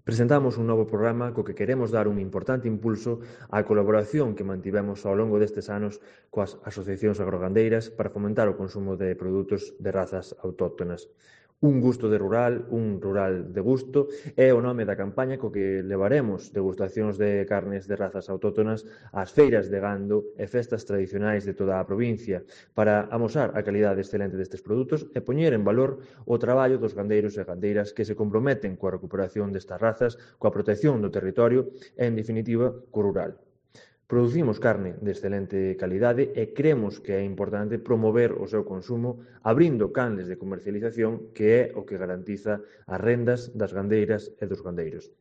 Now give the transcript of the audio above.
Presentamos un novo programa co que queremos dar un importante impulso á colaboración que mantivemos ao longo destes anos coas asociacións agrogandeiras para fomentar o consumo de produtos de razas autóctonas. Un gusto de rural, un rural de gusto, é o nome da campaña co que levaremos degustacións de carnes de razas autóctonas ás feiras de gando e festas tradicionais de toda a provincia para amosar a calidade excelente destes produtos e poñer en valor o traballo dos gandeiros e gandeiras que se comprometen coa recuperación destas razas, coa protección do territorio e, en definitiva, co rural. Producimos carne de excelente calidade e cremos que é importante promover o seu consumo abrindo canles de comercialización que é o que garantiza as rendas das gandeiras e dos gandeiros.